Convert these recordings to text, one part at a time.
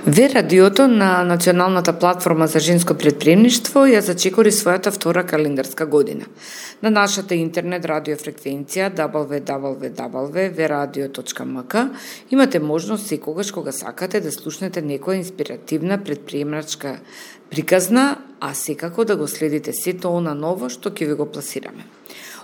Ве радиото на Националната платформа за женско претприемништво ја зачекори својата втора календарска година. На нашата интернет радиофреквенција www.veradio.mk имате можност секогаш кога сакате да слушнете некоја инспиративна претприемачка приказна, а секако да го следите сето она ново што ќе ви го пласираме.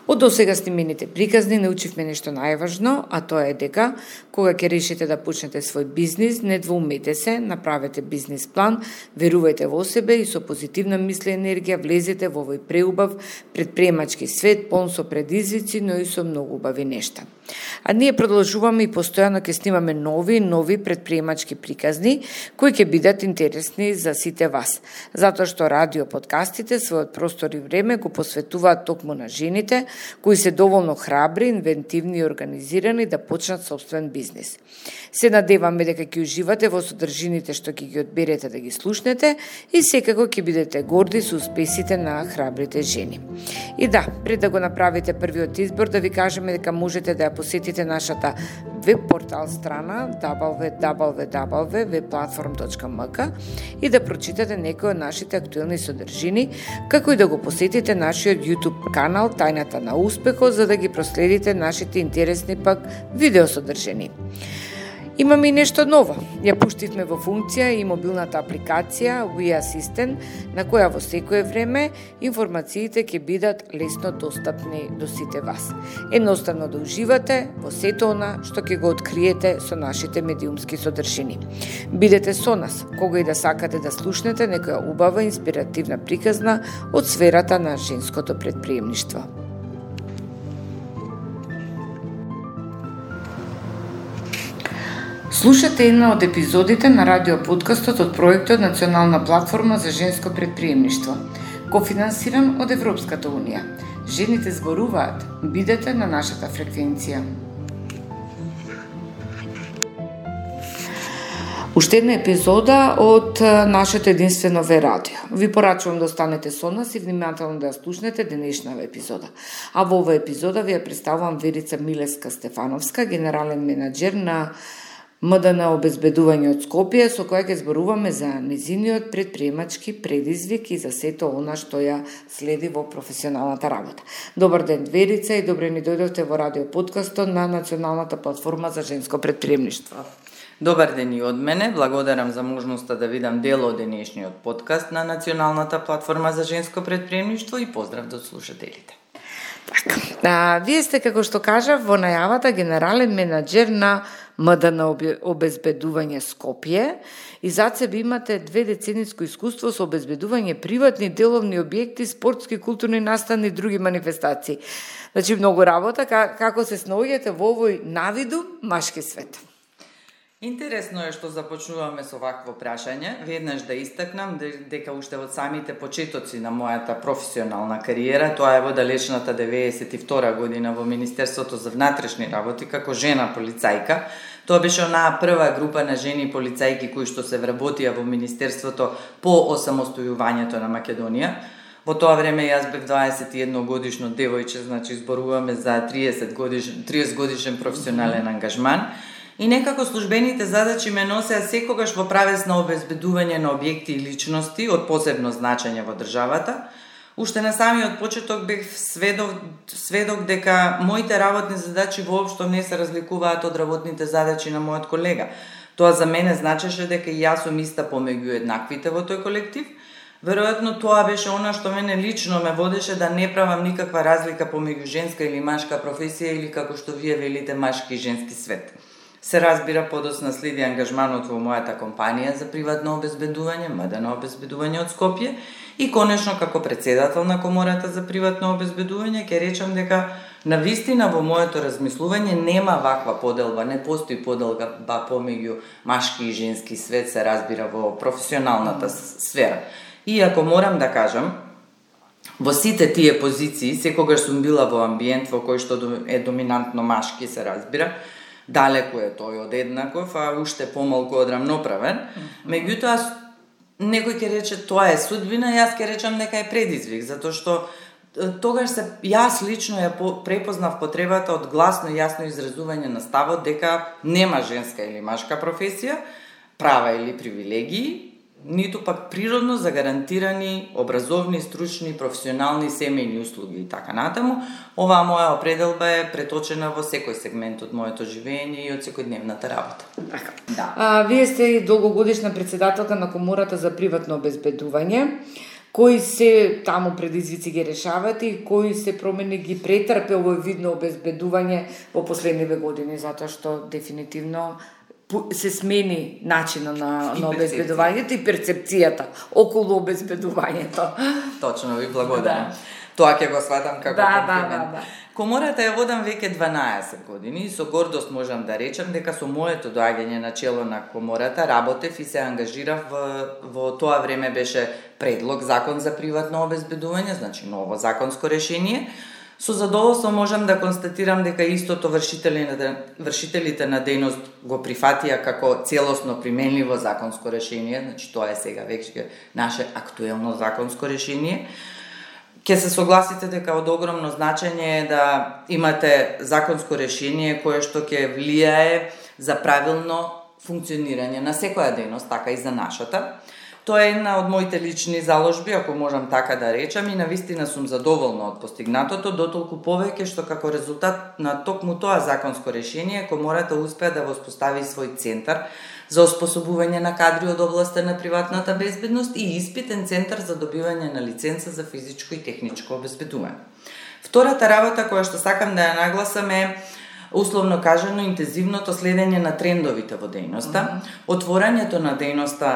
Од досега снимените приказни научивме нешто најважно, а тоа е дека кога ќе решите да почнете свој бизнис, не двоумете се, направете бизнис план, верувајте во себе и со позитивна мисли енергија влезете во овој преубав претприемачки свет, полн со предизвици, но и со многу убави нешта. А ние продолжуваме и постојано ќе снимаме нови претприемачки приказни кои ќе бидат интересни за сите вас, затоа што радио подкастите својот простор и време го посветуваат токму на жените кои се доволно храбри, инвентивни и организирани да почнат собствен бизнис. Се надеваме дека ќе уживате во содржините што ќе ги одберете да ги слушнете и секако ќе бидете горди со успесите на храбрите жени. И да, пред да го направите првиот избор, да ви кажеме дека можете да ја посетите нашата веб-портал страна www.vplatform.mk и да прочитате некои од нашите актуелни содржини, како и да го посетите нашиот YouTube канал Тајната на успехот, за да ги проследите нашите интересни пак видеосодржини. Имаме и нешто ново. Ја пуштивме во функција и мобилната апликација We Assistant, на која во секое време информациите ќе бидат лесно достапни до сите вас. Едноставно да уживате во сето она што ќе го откриете со нашите медиумски содржини. Бидете со нас, кога и да сакате да слушнете некоја убава инспиративна приказна од сферата на женското претприемништво. Слушате една од епизодите на радиоподкастот од проектот Национална платформа за женско претприемништво, кофинансиран од Европската унија. Жените зборуваат. Бидете на нашата фреквенција. Уште една епизода од нашето единствено Ве радио. Ви порачувам да останете со нас и внимателно да ја слушнете денешнава епизода. А во оваа епизода ви ја представувам Верица Милеска-Стефановска, генерален менаџер на МДН обезбедување од Скопје, со која ќе зборуваме за незиниот претприемачки предизвик и за сето она што ја следи во професионалната работа. Добар ден, Верица, и добре ни дојдовте во радиоподкастот на Националната платформа за женско претприемништво. Добар ден и од мене, благодарам за можноста да видам дел од денешниот подкаст на Националната платформа за женско претприемништво и поздрав до слушателите. Така, вие сте, како што кажав, во најавата генерален менаџер на МДН обезбедување Скопје и зад себе имате 2 децениско искуство со обезбедување приватни деловни објекти, спортски, културни наставни и други манифестации. Значи, многу работа, како се снаоѓате во овој навиду машки свет? Интересно е што започнуваме со вакво прашање. Веднаш да истакнам дека уште од самите почетоци на мојата професионална кариера, тоа е во далечната 92 година во Министерството за внатрешни работи, како жена полицајка. Тоа беше онаа прва група на жени полицајки кои што се вработија во Министерството по осамостојувањето на Македонија. Во тоа време јас бев 21 годишно девојче, значи зборуваме за 30 годишен професионален ангажман. И некако службените задачи ме носеа секогаш во правец на обезбедување на објекти и личности од посебно значење во државата. Уште на самиот почеток бев сведок дека моите работни задачи воопшто не се разликуваат од работните задачи на мојот колега. Тоа за мене значеше дека и јас сум иста помеѓу еднаквите во тој колектив. Веројатно тоа беше она што мене лично ме водеше да не правам никаква разлика помеѓу женска или машка професија или како што вие велите машки и женски свет. Се разбира, подоцна следи ангажманот во мојата компанија за приватно обезбедување, МДН обезбедување од Скопје, и конечно како председател на Комората за приватно обезбедување ќе речам дека навистина во моето размислување нема ваква поделба, не постои поделба помеѓу машки и женски свет, се разбира во професионалната сфера. Иако морам да кажам, во сите тие позиции секогаш сум била во амбиент во кој што е доминантно машки, се разбира. Далеку е тој од еднаков, а уште помалку од рамноправен. Меѓутоа, некој ќе рече тоа е судбина, јас ќе речам дека е предизвик, затоа што тогаш јас лично ја препознав потребата од гласно и јасно изразување на ставот дека нема женска или машка професија, права или привилегии, ниту пак природно загарантирани образовни, стручни, професионални семејни услуги и така натаму. Оваа моја определба е преточена во секој сегмент од моето живење и од секојдневната работа. Да. Вие сте долгогодишна председателка на Комората за приватно обезбедување. Кои се таму предизвици ги решавате и кои се промени ги претрпе овој вид на обезбедување во последниве години, затоа што дефинитивно се смени начинот на обезбедувањето и перцепцијата околу обезбедувањето. Точно, ви благодарам. Тоа ќе го сватам како комплимент. Комората ја водам веќе 12 години и со гордост можам да речам дека со моето доаѓање на чело на Комората работев и се ангажирав во тоа време беше предлог закон за приватно обезбедување, значи ново законско решение. Со задоволство можам да констатирам дека истото вршителите на дејност го прифатија како целосно применливо законско решение, значи тоа е сега веќе наше актуелно законско решение. Ке се согласите дека од огромно значење е да имате законско решение кое што ќе влијае за правилно функционирање на секоја дејност, така и за нашата. Тоа е една од моите лични заложби, ако можам така да речам, и навистина сум задоволна од постигнатото, дотолку повеќе што како резултат на токму тоа законско решение, Комората успеа да воспостави свој центар за оспособување на кадри од областта на приватната безбедност и испитен центар за добивање на лиценца за физичко и техничко обезбедување. Втората работа која што сакам да ја нагласам е, условно кажано, интензивното следење на трендовите во дејноста, отворањето на дејноста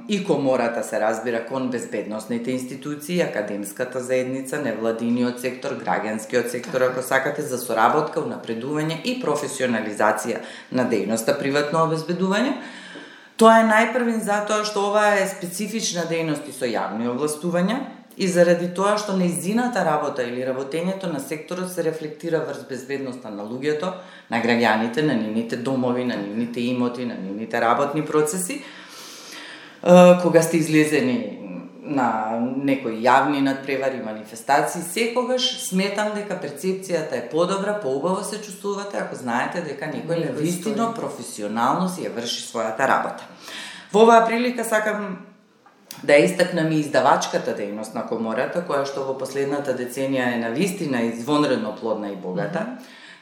и Комората се разбира кон безбедносните институции, академската заедница, невладиниот сектор, граѓанскиот сектор, ако сакате, за соработка, унапредување и професионализација на дејноста приватно обезбедување. Тоа е најпрвин затоа што ова е специфична дејност и со јавни овластувања, и заради тоа што нејзината работа или работењето на секторот се рефлектира врз безбедноста на луѓето, на граѓаните, на нивните домови, на нивните имоти, на нивните работни процеси. Кога сте излезени на некои јавни надпревари, манифестации, секогаш сметам дека перцепцијата е подобра, поубаво се чувствувате ако знаете дека некој навистина професионално си ја врши својата работа. Во оваа прилика сакам да ја истакнам и издавачката дејност на Комората, која што во последната деценија е навистина извонредно плодна и богата.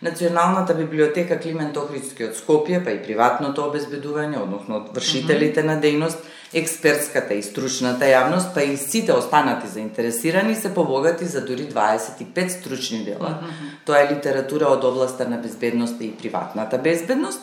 Националната библиотека Климент Охридски од Скопје, па и приватното обезбедување, односно од вршителите на дејност, експертската и стручната јавност, па и сите останати заинтересирани се побогати за дури 25 стручни дела. Тоа е литература од областта на безбедноста и приватната безбедност.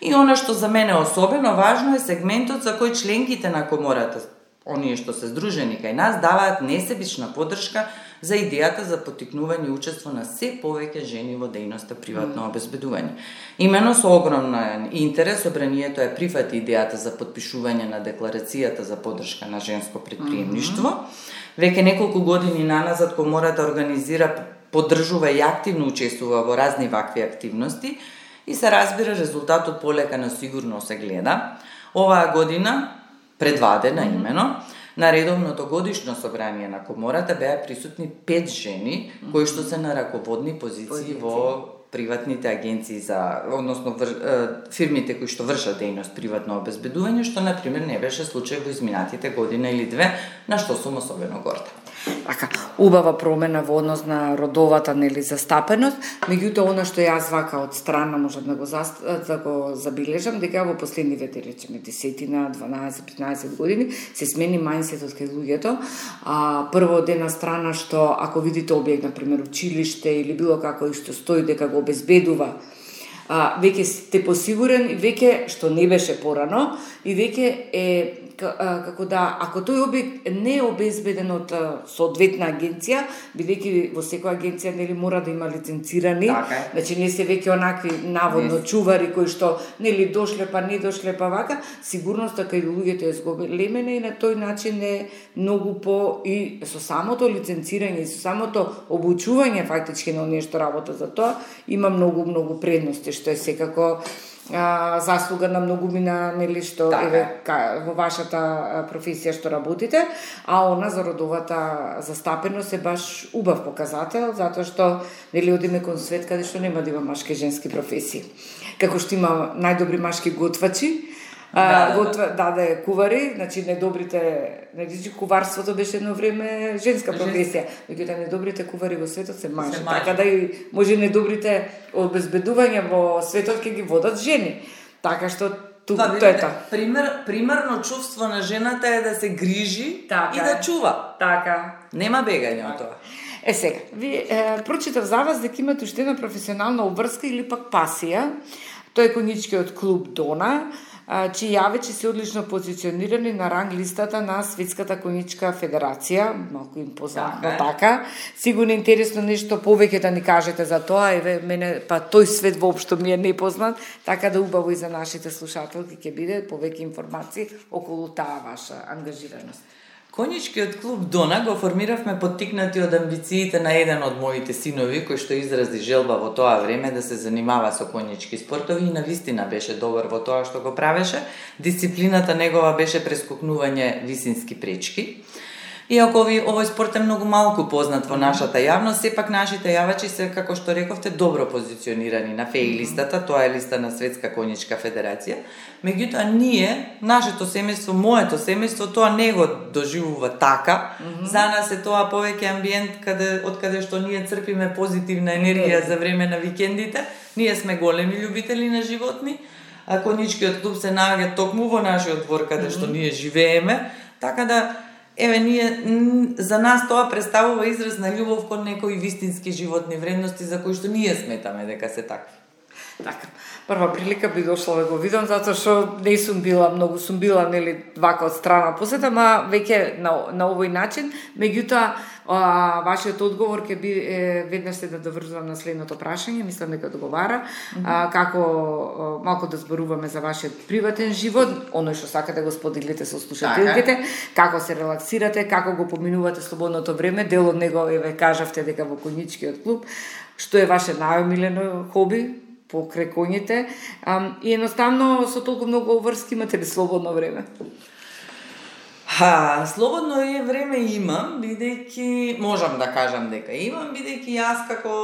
И она што за мене особено важно е сегментот за кој членките на Комората, оние што се здружени кај нас, даваат несебична поддршка за идејата за поттикнување и учество на се повеќе жени во дејноста приватно обезбедување. Имено со огромен интерес собранието е прифати идејата за потпишување на декларацијата за поддршка на женско претприемништво. Веќе неколку години наназад Комората организира, поддржува и активно учествува во разни вакви активности и се разбира резултатот полека на сигурно се гледа. Оваа година предвадена имено, на редовното годишно собрание на Комората беа присутни 5 жени кои што се на раководни позиции во приватните агенции за, односно фирмите кои што вршат дејност приватно обезбедување, што на пример не беше случај во изминатите година или две, на што сум особено горда. Така, убава промена во однос на родовата застапеност, меѓутоа она што јас вака од страна можам да го забележам, дека во последниве, да речеме, 10, 12, 15 години се смени мајндсетот кај луѓето. Прво од една страна што ако видите објект, на пример училиште или било како и што стои дека го обезбедува, веќе сте посигурен и веќе што не беше порано и веќе е како да, ако тој објект не е обезбеден од соодветна агенција, бидејќи во секоја агенција нели мора да има лиценцирани, значи не се веќе онакви наводно чувари кои што нели дошле па не дошле па вака, сигурноста кај луѓето е зголемена и на тој начин е многу по и со самото лиценцирање и со самото обучување фактички на оние што работат за тоа има многу предности, што е секако заслуга на многумина, нели, што во вашата професија што работите, а она за родовата застапеност е баш убав показател, затоа што нели одиме кон свет каде што нема да има машки и женски професии. Како што има најдобри машки готвачи, даде кувари, значи недобрите, куварството беше едно време женска професија, меѓутоа недобрите кувари во светот се мажи, така да и може недобрите обезбедувања во светот ќе ги водат жени. Така што тоа е тоа. Примерно чувство на жената е да се грижи и да чува. Така. Нема бегање од тоа. Сега, ви прочитав за вас дека имате уште една професионална обврска или пак пасија. Тој е коничкиот клуб Дона, чии јавечи се одлично позиционирани на ранг листата на Светската коничка федерација, малку им познато така. Сигурно интересно нешто повеќе да ни кажете за тоа, мене па тој свет воопшто ми е непознат, така да убаво и за нашите слушателки ќе биде повеќе информации околу таа ваша ангажираност. Коничкиот клуб Дона го формиравме поттикнати од амбициите на еден од моите синови, кој што изрази желба во тоа време да се занимава со конички спортови и навистина беше добар во тоа што го правеше. Дисциплината негова беше прескокнување висински пречки. Иако овој спорт е многу малку познат во нашата јавност, сепак нашите јавачи се, како што рековте, добро позиционирани на ФЕИ листата, тоа е листа на Светска коничка федерација. Меѓутоа ние, нашето семејство, моето семејство, тоа не го доживува така. За нас е тоа повеќе амбиент од каде што ние црпиме позитивна енергија за време на викендите. Ние сме големи љубители на животни, а коничкиот клуб се наоѓа токму во нашиот двор каде што ние живееме, така да ние, за нас тоа представува израз на љубов кон некои вистински животни вредности за кои што ние сметаме дека се такви. Така, прва прилика би дошла да го видам, затоа што не сум била, многу сум била, нели, вака од страна посета, ма веќе на овој начин, меѓутоа, вашиот одговор ќе би веднаш се да доврзувам на следното прашање, мислам дека одговара, како малку да зборуваме за вашиот приватен живот, оној што сакате го споделите со слушателките, како се релаксирате, како го поминувате слободното време, дел од него кажавте дека во коничкиот клуб, што е ваше најомилено хоби покрај коњите, и едноставно со толку многу обврски имате ли слободно време? Слободно време имам, бидејќи можам да кажам дека имам, бидејќи јас како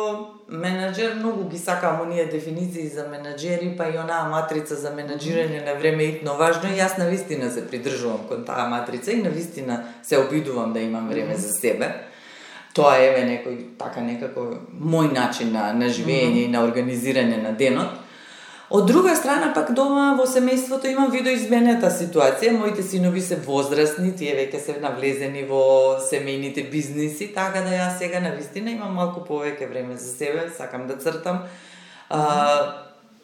менаџер многу ги сакам оние дефиниции за менаџери, па и онаа матрица за менаџирање на време итно важно, и јас навистина се придржувам кон таа матрица и навистина се обидувам да имам време за себе. Тоа е некако мој начин на живење и на организирање на денот. Од друга страна пак дома во семејството имам видоизменета ситуација. Моите синови се возрастни, тие веќе се навлезени во семејните бизниси, така да јас сега навистина имам малку повеќе време за себе, сакам да цртам.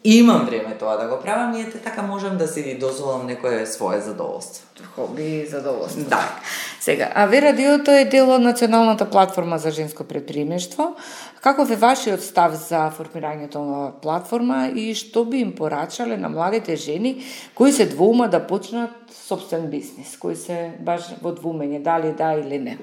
Имам време тоа да го правам и така можам да си дозволам некое свое задоволство. Хоби и задоволство. Да. Сега, ВР-радиото е дел од Националната платформа за женско предприемништво. Каков е вашиот став за формирањето на платформа и што би им порачале на младите жени кои се двоума да почнат сопствен бизнис, кои се баш во двумење дали да или не?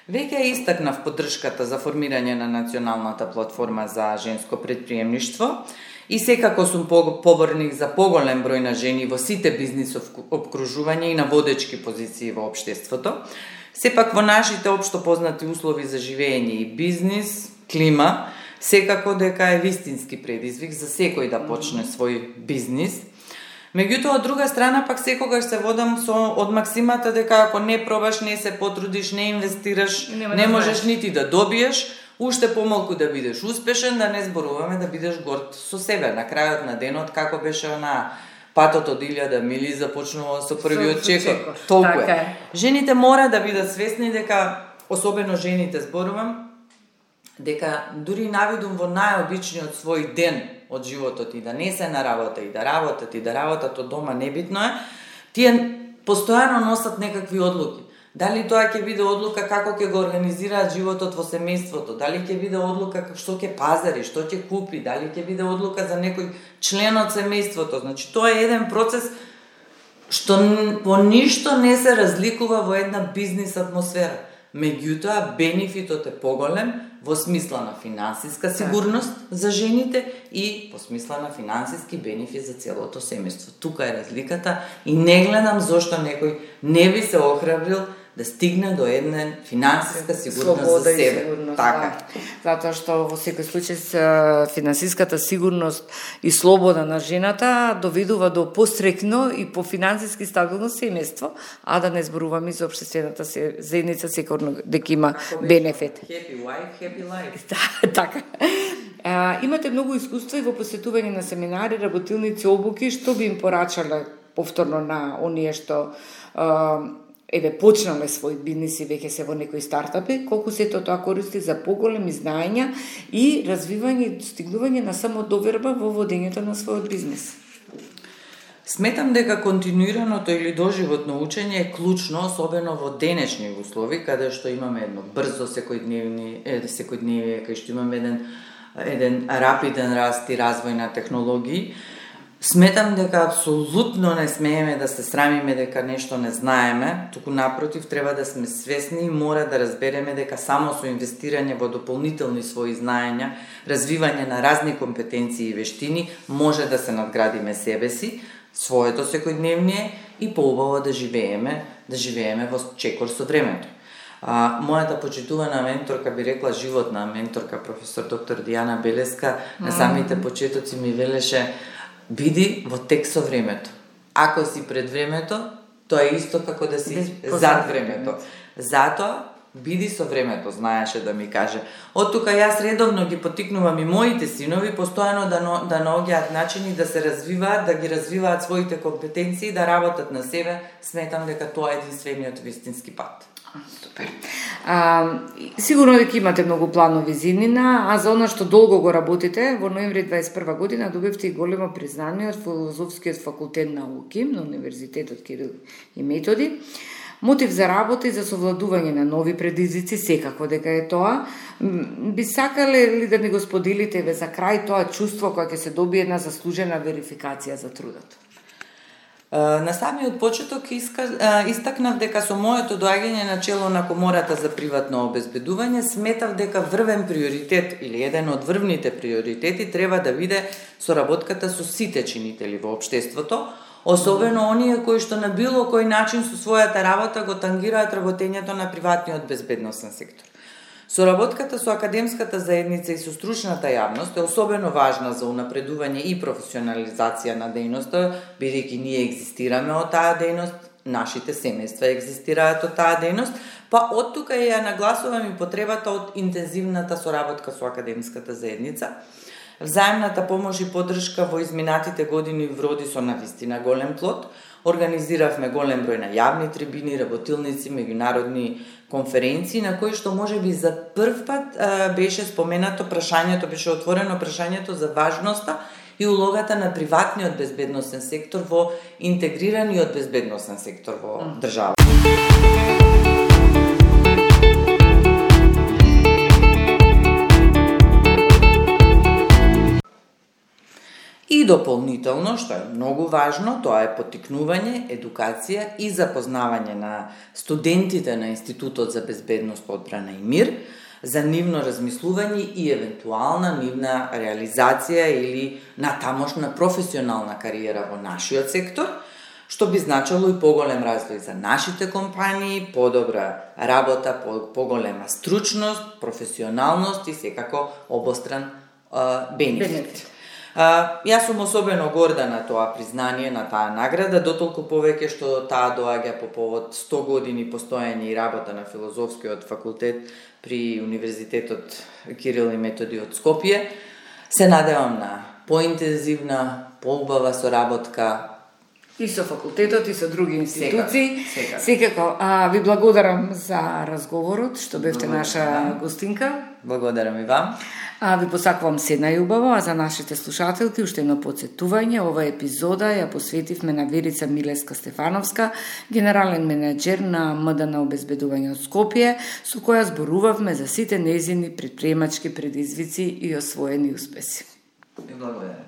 Веќе истакнав поддршката за формирање на Националната платформа за женско предприемништво и секако сум поборник за поголем број на жени во сите бизнисов обкружување и на водечки позиции во општеството. Сепак во нашите општо познати услови за живење и бизнис, клима, секако дека е вистински предизвик за секој да почне свој бизнис. Меѓутоа, од друга страна, пак секогаш се водам од максимата дека ако не пробаш, не се потрудиш, не инвестираш, не можеш нити да добиеш, уште помалку да бидеш успешен, да не зборуваме да бидеш горд со себе. На крајот на денот, како беше патот од 1000 мили, започнува со првиот чекор. Толку е. Жените мора да бидат свесни дека, особено жените зборувам, дека дури навидум во најобичниот свој ден од животот и да не се на работа и да работат од дома, небитно е, тие постојано носат некакви одлуки. Дали тоа ќе биде одлука како ќе го организираат животот во семејството, дали ќе биде одлука што ќе пазари, што ќе купи, дали ќе биде одлука за некој член од семејството. Значи, тоа е еден процес што во ништо не се разликува во една бизнис атмосфера. Меѓутоа, бенефитот е поголем во смисла на финансиска сигурност за жените и во смисла на финансиски бенефит за целото семејство. Тука е разликата и не гледам зошто некој не би се охрабрил да стигне до една финансиска сигурност за себе. Сигурност, така. Да. Затоа што во секој случај финансиската сигурност и слобода на жената доведува до пострекно и по финансиски стабилно семејство, а да не зборуваме за општествената заедница секогаш дека има бенефит. Happy wife, happy life. Да, така. Имате многу искуство и во посетување на семинари, работилници, обуки, што би им порачале повторно на оние што почнале свој бизнис и веќе се во некои стартапи, колку сето тоа користи за поголеми знаења и развивање и достигнување на самодоверба во водењето на својот бизнис? Сметам дека континуираното или доживотно учење е клучно, особено во денешни услови, каде што имаме едно брзо секојдневие, кај што имаме еден рапиден раст и развој на технологии. Сметам дека апсолутно не смееме да се срамиме дека нешто не знаеме, туку напротив треба да сме свесни и мора да разбереме дека само со инвестирање во дополнителни своји знаења, развивање на разни компетенции и вештини, може да се надградиме себе си, своето секојдневие и поубаво да живееме во чекор со времето. Мојата почитувана менторка, би рекла животна менторка, професор доктор Дијана Белеска, на самите почетоци ми велеше: биди во тек со времето. Ако си пред времето, тоа е исто како да си зад времето. Затоа, биди со времето, знаеше да ми каже. Од тука јас редовно ги потикнувам и моите синови постојано да наоѓаат начини да се развиваат, да ги развиваат своите компетенции, да работат на себе. Сметам дека тоа е единствениот вистински пат. Супер. Сигурно дека имате многу планови зиднина, а за она што долго го работите, во ноември 21 година добивте и големо признание од Филозофскиот факултет науки на Универзитетот Кирил и Методи. Мотив за работа и за совладување на нови предизвици секако дека е тоа. Би сакале ли да ни го споделите за крај тоа чувство кое ќе се добие една заслужена верификација за трудот? На самиот почеток истакнав дека со моето доаѓање на чело на Комората за приватно обезбедување сметав дека врвен приоритет или еден од врвните приоритети треба да биде соработката со сите чинители во општеството, особено оние кои што на било кој начин со својата работа го тангираат работењето на приватниот безбедносен сектор. Соработката со академската заедница и со стручната јавност е особено важна за унапредување и професионализација на дејноста, бидејќи ние екзистираме од таа дејност, нашите семејства екзистираат од таа дејност, па од тука ја нагласувам и потребата од интензивната соработка со академската заедница. Взаемната помош и поддршка во изминатите години вроди со навистина голем плод. Организиравме голем број на јавни трибини, работилници, меѓународни конференции, на кои што можеби за прв пат беше споменато прашањето, беше отворено прашањето за важноста и улогата на приватниот безбедносен сектор во интегрираниот безбедносен сектор во држава. И дополнително, што е многу важно, тоа е поттикнување, едукација и запознавање на студентите на Институтот за безбедност, одбрана и мир, за нивно размислување и евентуална нивна реализација или натамошна професионална кариера во нашиот сектор, што би значило и поголем развој за нашите компании, подобра работа, поголема стручност, професионалност и секако обостран бенефит. Јас сум особено горда на тоа признание, на таа награда, дотолку повеќе што таа доаѓа по повод 100 години постоење и работа на Филозофскиот факултет при Универзитетот Кирил и Методи од Скопје. Се надевам на поинтензивна, поубава соработка и со факултетот и со други институции. Секако. Ви благодарам за разговорот, што бевте наша гостинка. Благодарам и вам. Ви посакувам се најубаво, а за нашите слушателки уште едно потсетување. Ова епизода ја посветивме на Верица Милеска-Стефановска, генерален менеджер на МДН обезбедување од Скопје, со која зборувавме за сите нејзини претприемачки предизвици и освоени успеси. Благодарам.